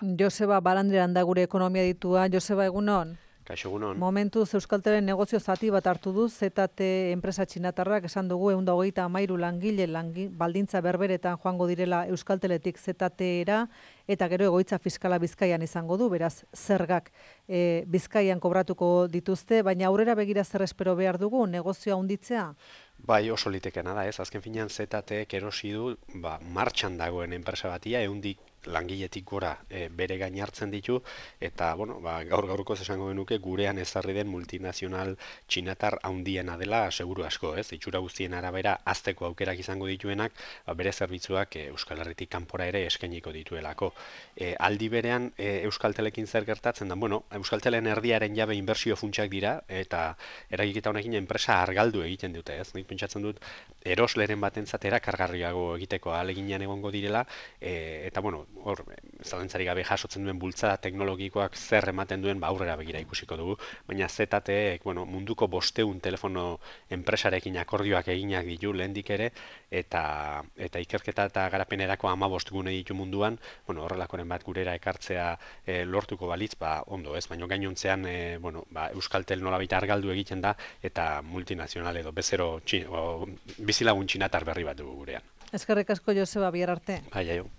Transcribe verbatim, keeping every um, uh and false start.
Joseba Barandiaran da gure ekonomia ditua. Joseba, egunon? Kaixo, egunon. Momentuz Euskaltelen negozio zati bat hartu du, Z T enpresa txinatarrak esan dugu ehun eta hogeita hamairu langile langi, baldintza berberetan joango direla Euskalteletik Z T-era, eta gero egoitza fiskala Bizkaian izango du, beraz zergak e, Bizkaian kobratuko dituzte, baina aurrera begira zer espero behar dugu, negozioa handitzea? Bai, oso litekena da, ez? Azken finean Z Tek erosi du, ba, martxan dagoen enpresa batia, ehundik langiletik gora e, bere gain hartzen ditu, eta, bueno, ba, gaur gaurkoz esango genuke gurean ezarri den multinazional txinatar handiena dela seguru asko, ez? Itxura guztien arabera azteko aukerak izango dituenak, ba, bere zerbitzuak e, Euskal Herritik kanpora ere eskainiko dituelako. E, aldi berean e, Euskaltelekin zer gertatzen da, bueno, Euskaltelen erdiaren jabe inbertsio funtsak dira, eta eragiketa honekin enpresa argaldu egiten dute, ez? Nik pentsatzen dut erosleren batentzat erakargarriago egiteko ahaleginean egongo direla, e, eta bueno, hor zalantzarik gabe jasotzen duen bultzada teknologikoak zer ematen duen ba aurrera begira ikusiko dugu, baina Z Tek, bueno, munduko bosteun telefono enpresarekin akordioak eginak ditu lehendik ere, eta eta ikerketa eta garapenerako hamabost gune ditu munduan, bueno, horrelakoren bat gurera ekartzea e, lortuko balitz, ba ondo, ez? Baina gainontzean e, bueno, ba, Euskaltel nolabait argaldu egiten da eta multinazional edo bezero txin, o, bizilagun txinatar berri bat dugu gurean. Eskerrik asko, Joseba, bihar arte. Bai, aio.